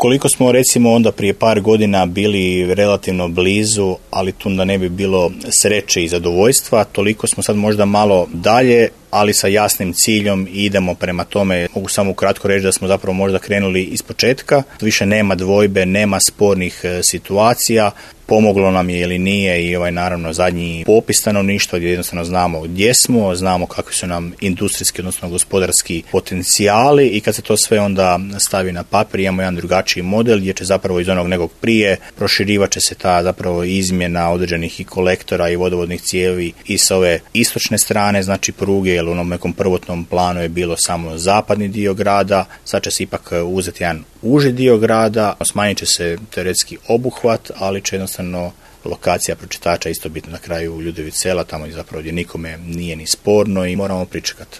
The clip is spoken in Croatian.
Koliko smo recimo onda prije par godina bili relativno blizu, ali tu da ne bi bilo sreće i zadovoljstva, toliko smo sad možda malo dalje, ali sa jasnim ciljom i idemo prema tome. Mogu samo ukratko reći da smo zapravo možda krenuli iz početka. Više nema dvojbe, nema spornih situacija. Pomoglo nam je ili nije i naravno zadnji popis stanovništva gdje jednostavno znamo gdje smo, znamo kakvi su nam industrijski odnosno gospodarski potencijali i kad se to sve onda stavi na papir imamo jedan drugačiji model gdje će zapravo iz onog nekog prije proširivat će se ta zapravo izmjena određenih i kolektora i vodovodnih cijevi i s ove istočne strane, znači pruge, jer u onom nekom prvotnom planu je bilo samo zapadni dio grada, sad će se ipak uzeti jedan uži dio grada, smanjit će se teoretski obuhvat, ali će jednostavno lokacija pročitača isto biti na kraju Ljudević Sela, tamo zapravo gdje nikome nije ni sporno i moramo pričekati.